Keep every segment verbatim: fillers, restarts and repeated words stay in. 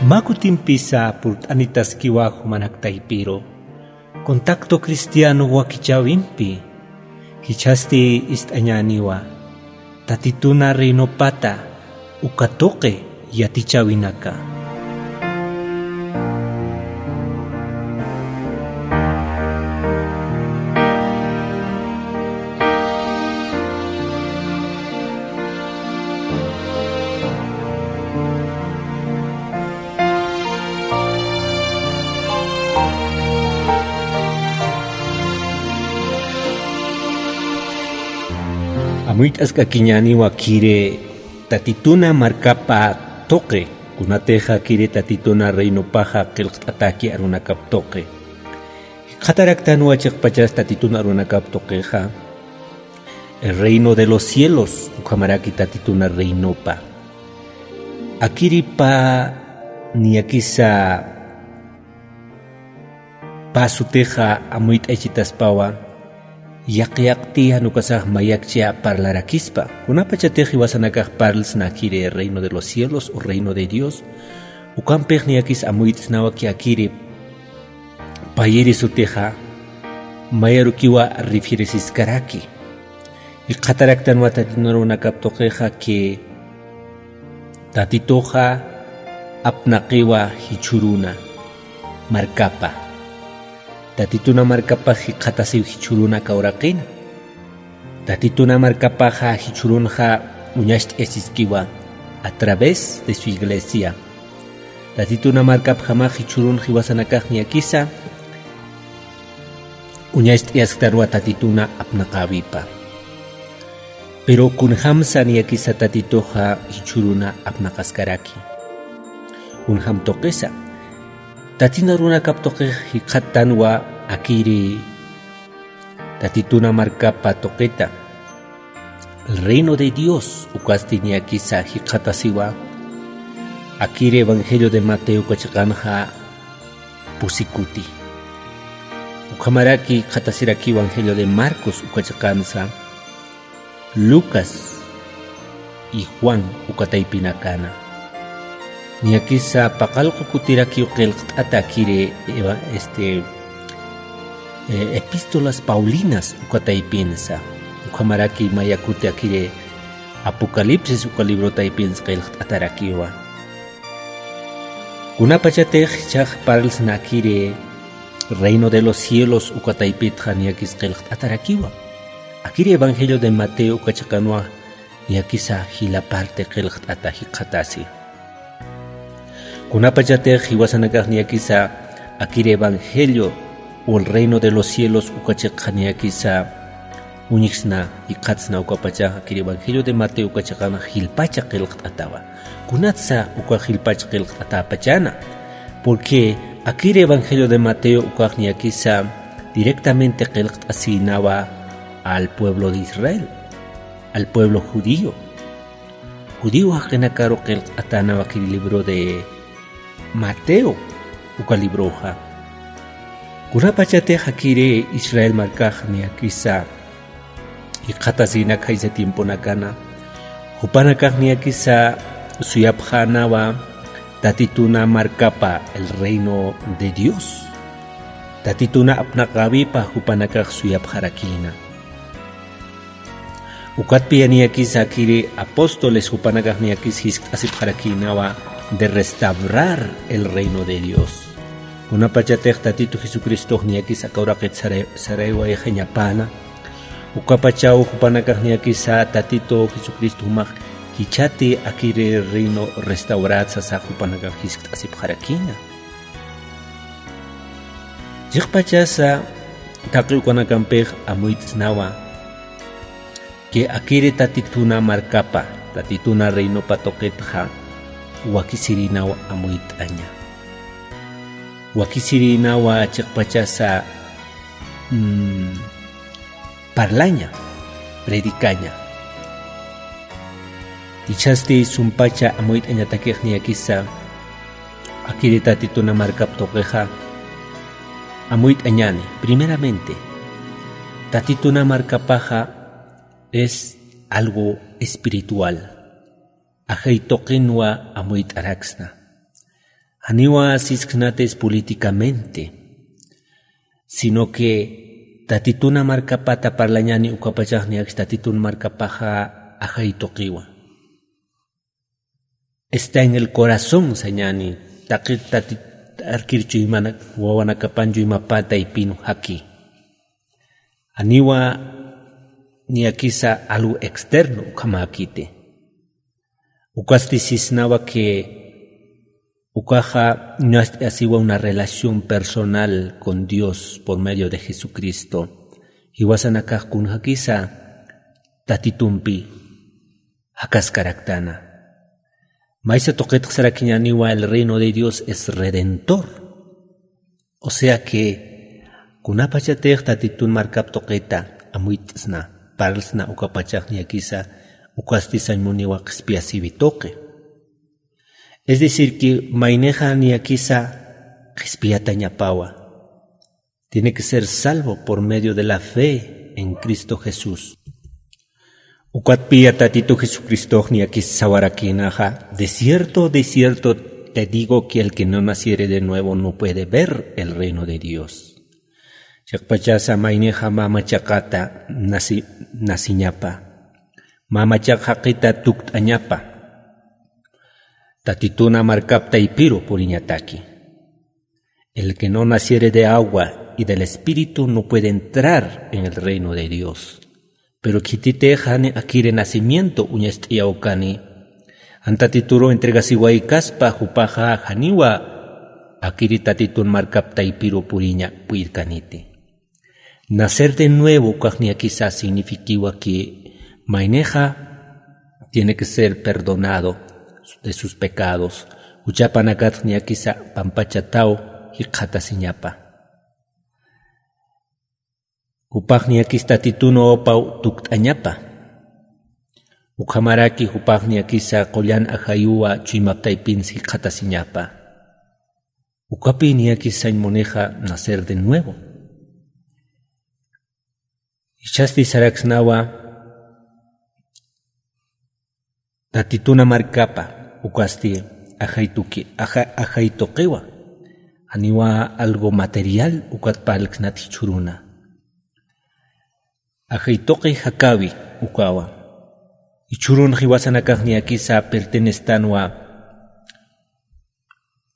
Mä kutimpisa purt'anitaskiwa jumanak taypiru contacto cristiano wakichäwimpi. Jichhasti ist'añäniwa Tatituna reinopata uka tuqi yatichäwinaka. Amuyt'askakiñäniwa kiri Tatituna markapa tuqi, kunatixa kiri Tatituna reinopaxa qillqt'ataki arunakap tuqi. Jikxataraktanwa chiqpachas Tatituna arunakap tuqixa, el reino de los cielos, ukhamaraki Tatituna reinopa. Akiripa niyakisa pä sutixa amuyt'ayachitaspawa, yaqi yaqti jan ukasax mayakcha parlarakispa. Kunapachatix jiwasanakax parlsna kiri reino de los cielos o reino de Dios, ukampix niyakis amuyt'snawa ki akiri payiri sutixa mayarukiwa refieresiskaraki. Jikxataraktanwa Tatituna arunakap tuqixa ki Tatituxa apnaqiwa jichhüruna markapa. Tatituna markapax jikxatasiw jichhüruna aka uraqina. Tatituna markapaxa jichhürunxa uñacht'ayasiskiwa a través de su iglesia. Tatituna markapjamax jichhürun jiwasanakax niyakisa uñacht'ayasktanwa Tatituna apnaqäwipa. Pero kunjamsa niyakisa Tatituxa jichhüruna apnaqaskaraki. Kunjam tuqisa. Tatituna arunakap tuqix jikxattanwa akiri Tatituna markapa tuqita. El reino de Dios ukasti niyakisa jikxatasiwa. Akiri Evangelio de Mateo uka chiqanxa pusi kuti. Ukhamaraki jikxatasiraki Evangelio de Marcos uka chiqansa, Lucas y Juan uka taypinakana. Niyakisa paqallqu kutirakiw qillqt'ata akiri eva-, este, eh, epístolas paulinas uka taypinsa. Ukhamaraki maya kuti akiri Apocalipsis uka libro taypinsa qillqt'atarakiwa. Kunapachatix jichhax parlsna akiri reino de los cielos uka taypitxa niyakis qillqt'atarakiwa. Akiri Evangelio de Mateo uka chiqanwa niyakisa jila parte qillqt'ata jikxatasi. Kunapachatix jiwasanakax niyakisa akiri Evangelio o el reino de los cielos uka chiqxa niyakisa uñjsna, jikxatsna ukapachax akiri Evangelio de Mateo uka chiqanxa jilpacha qillqt'atawa. Kunatsa uka jilpacha qillqt'atäpachäna. Porque akiri Evangelio de Mateo ukax niyakisa directamente qillqt'asïnawa al pueblo de Israel, al pueblo judío. Judío jaqinakaru qillqt'atänawa akiri libro de Mateo uka libroxa. Kunapachatix akiri Israel markax niyakisa jikxatasïnaka jaysa tiemponakana, jupanakax niyakisa suyapxänawa Tatituna markapa, el reino de Dios. Tatituna apnaqäwipa jupanakax suyapxarakïna. Ukatpiya niyakisa akiri apóstoles jupanakax niyakis jiskt'asipxarakïnawa de restaurar el reino de Dios. Kunapachatix Tatitu Jesucristox niyakis aka uraqit saray-, saraywayxañapäna, ukapachaw jupanakax niyakisa Tatitu Jesucristo jumax jichhati akiri reino restaurat sasa jupanakax jiskt'asipxarakïna. Chiqpachasa taqi ukanakampix amuyt'snawa que akiri Tatituna markapa, Tatituna reinopa tuqitxa wakisirïnaw amuyt'aña. Wakisirïnawa chiqpachasa, mm, parlaña, predicaña. Jichhasti sumpacha amuyt'añatakix niyakisa akiri Tatituna markap tuqixa amuyt'añäni. Primeramente, Tatituna markapaxa es algo espiritual. Ajay tuqinwa amuyt'araksna. Janiwa sisksnatis políticamente, sino que Tatituna markapata parlañani ukapachaxniakis Tatitun markapaxa ajay tuqiwa. Está en el corazón sañani, taqi Tatit arkir chuymana wawanakapan chuymapata ipinu jaki. Janiwa niyakisa algo externo ukhamäkiti. Ukasti sisnawa que ukaxa ñast'asiwa una relación personal con Dios por medio de Jesucristo. Jiwasanakax kunjakisa Tatitumpi jakaskaraktana. Maysa tuqitxsarakiñaniwa el reino de Dios es redentor. O sea que kunapachatix Tatitun markap tuqita amuyt'sna, parlsna ukapachax niyakisa ukasti sañ muniwa qhispiyasiwi tuqi. Es decir que maynixa niyakisa qhispiyatañapawa. Tiene que ser salvo por medio de la fe en Cristo Jesús. Ukatpiya Tatitu Jesucristox niyakis sawarakïnaxa, de cierto, de cierto te digo que el que no naciere de nuevo no puede ver el reino de Dios. Chiqpachasa maynixa mä machaqata nasi-, nasiñapa, mä machaq jaqita tukt'añapa, Tatituna markap taypiru puriñataki. El que no naciere de agua y del Espíritu no puede entrar en el reino de Dios. Pero khititix jani akiri nacimiento uñast'iyaw kani, jan Tatituru entregasiwaykaspa jupaxa janiwa akiri Tatitun markap taypiru puriña puyrkaniti. Nacer de nuevo ukax niyakisa signifikiwa que maynixa tiene que ser perdonado de sus pecados. Juchapanakatx niyakisa pampachataw jikxatasiñapa. Jupax niyakis Tatitun wawapaw tukt'añapa. Ukhamaraki jupax niyakisa qullan ajayuwa chuymap taypins jikxatasiñapa. Ukapi niyakis sañ munixa nacer de nuevo. Jichhasti saraksnawa Tatituna markapa ukasti ajay tuki-, aja-, ajay tuqiwa. Janiwa algo material ukat parlksnat jichhüruna. Ajay tuqi jakäwi ukawa. Jichhürun jiwasanakax niyakisa pertenectanwa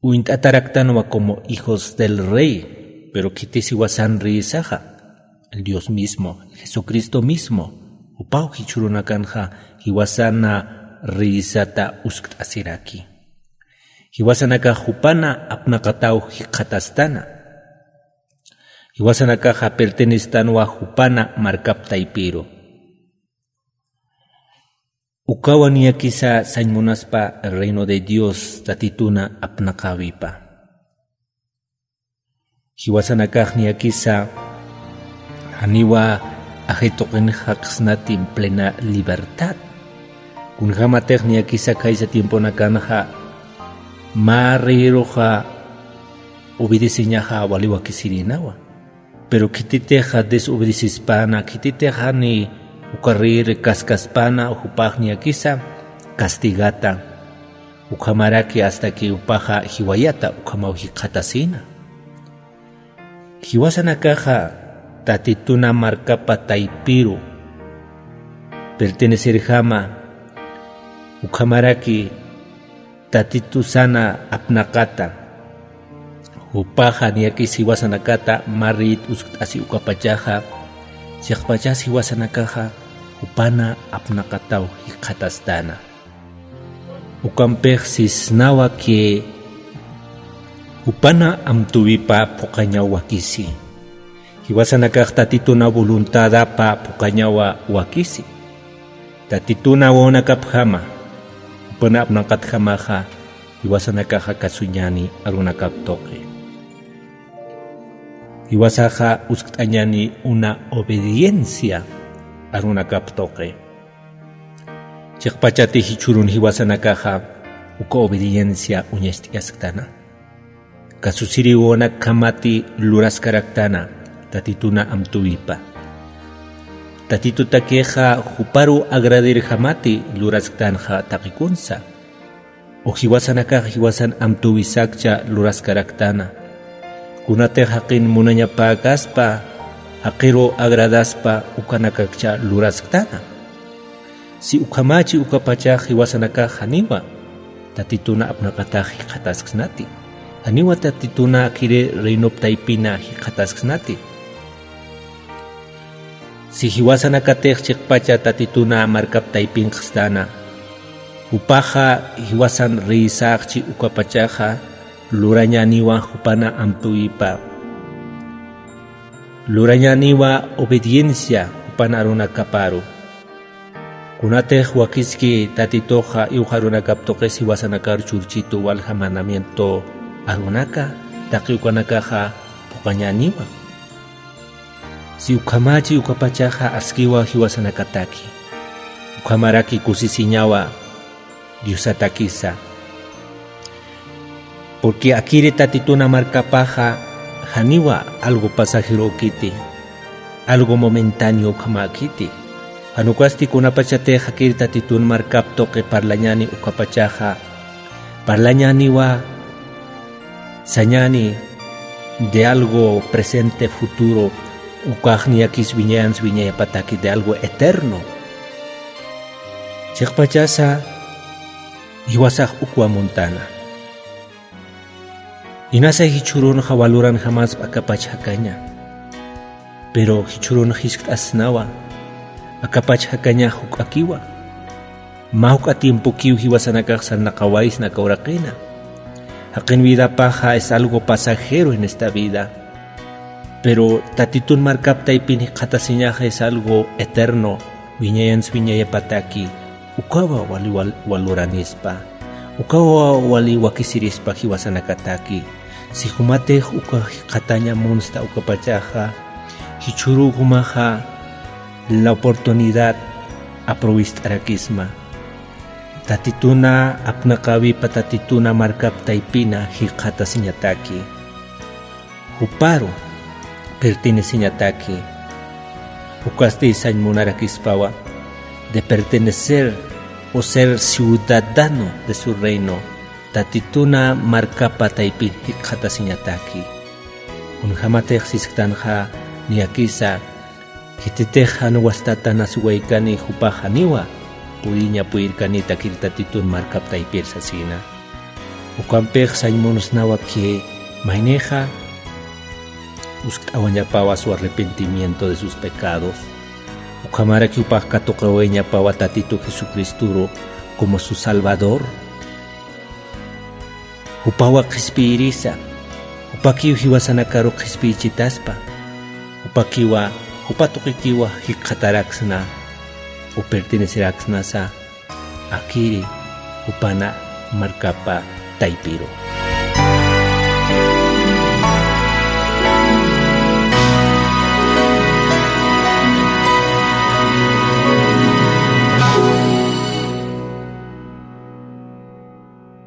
uñt'ataraktanwa como hijos del rey, pero khitis jiwasan riyisaxa, el Dios mismo, Jesucristo mismo, jupaw jichhürunakanxa jiwasana riyisata uskt'asiraki. Jiwasanakax jupana apnaqataw jikxatastana. Jiwasanakaxa pertenectanwa jupana markap taypiru. Ukawa niyakisa sañ munaspa reino de Dios Tatituna apnaqäwipa. Jiwasanakax niyakisa janiwa ajay tuqin jaqsnati en plena libertad. Kunjämatix niyakisa khaysa tiemponakanxa mä riyiruxa obedeceñaxa wali wakisirïnawa. Pero khititixa desobedecespäna, khititixa ni uka rey kaskaspana, jupax niyakisa castigata, ukhamaraki hasta que jupaxa jiwayata ukhamaw jikxatasïna. Jiwasanakaxa Tatituna markapa taypiru pertenecerjama, ukhamaraki Tatitusana apnaqata, jupaxa niyakis jiwasanakata mä riyit uskt'asi ukapachaxa, chiqpachas jiwasanakaxa jupana apnaqataw jikxatastana. Ukampix sisnawa que jupana amtuwipa phuqañaw wakisi. Jiwasanakax Tatituna voluntadapa phuqañawa wakisi. Tatituna wawanakapjama, jupana apnaqatjamaxa, jiwasanakaxa kasuñani arunakap tuqi. Jiwasaxa uskt'añani una obediencia arunakap tuqi. Chiqpachati jichhürun jiwasanakaxa uka obediencia uñacht'ayasktana. Kasusiriw wawanakjamati luraskaraktana Tatituna amtuwipa. Tatitutakixa juparu agradirjamati lurasktanxa taqikunsa. O jiwasanakax jiwasan amtuwisakcha luraskaraktana. Kunatix jaqin munañapäkaspa, jaqiru agradaspa ukanakakcha lurasktana. Si ukhamächi ukapachax jiwasanakax janiwa Tatituna apnaqatax jikxatasksnati. Janiwa Tatituna akiri reinop taypina jikxatasksnati. Si jiwasanakatix chiqpacha Tatituna markap taypinxstana, jupaxa jiwasan reysaxchi ukapachaxa lurañäniwa jupana amtuwipa. Lurañäniwa obediencia jupana arunakaparu. Kunatix wakiski Tatituxa iwxarunakap tuqis jiwasanakar churchitu walja mandamiento arunaka, taqi ukanakaxa phuqañäniwa. Si ukhamächi ukapachaxa askiwa jiwasanakataki. Ukhamaraki kusisiñawa Diosatakisa. Porque akiri Tatituna markapaxa janiwa algo pasajerokiti, algo momentáneo ukhamäkiti. Jan ukasti kunapachatix akiri Tatitun markap tuqi parlañäni ukapachaxa, parlañäniwa sañäni de algo presente, futuro, ukax niyakis wiñayans wiñayapataki de algo eterno. Chiqpachasa jiwasax ukwa muntana. Inasa jichhürunxa waluranjamaspa akapach jakaña. Pero jichhürun jiskt'asnawa, akapach jakaña juk'akiwa. Mä juk'a tiempokiw jiwasanakax sarnaqawaysna aka uraqina. Jaqin vidapaxa es algo pasajero en esta vida. Pero Tatitun markap taypin jikxatasiñaxa es algo eterno, wiñayans wiñayapataki. Ukawa wali wal-, waluranispa. Ukawa wali wakisirispa jiwasanakataki. Si jumatix uka jikxataña munsta ukapachaxa, jichhüru jumaxa la oportunidad aprovist'arakisma. Tatituna apnaqäwipa Tatituna markap taypina jikxatasiñataki. Juparu perteneceñataki. Ukasti sañ munarakispawa de pertenecer o ser ciudadano de su reino. Tatituna markapa taypin jikxatasiñataki. Kunjamatix sisktanxa niyakisa, khititix jan wastatan asiwaykani jupax janiwa puriña puyirkanita akir Tatitun markap taypir sasina. Ukampix sañ munsnawa que maynixa uskt'awañapawa su arrepentimiento de sus pecados. Ukhamaraki jupax katuqawayañapawa Tatitu Jesucristoru como su Salvador. Jupawa qhispiyirisa, jupakiw jiwasanakaru qhispiyichitaspa, jupakiwa, jupa tuqikiwa jikxataraksna, o perteneceraksnasa, akiri, jupana markapa taypiru.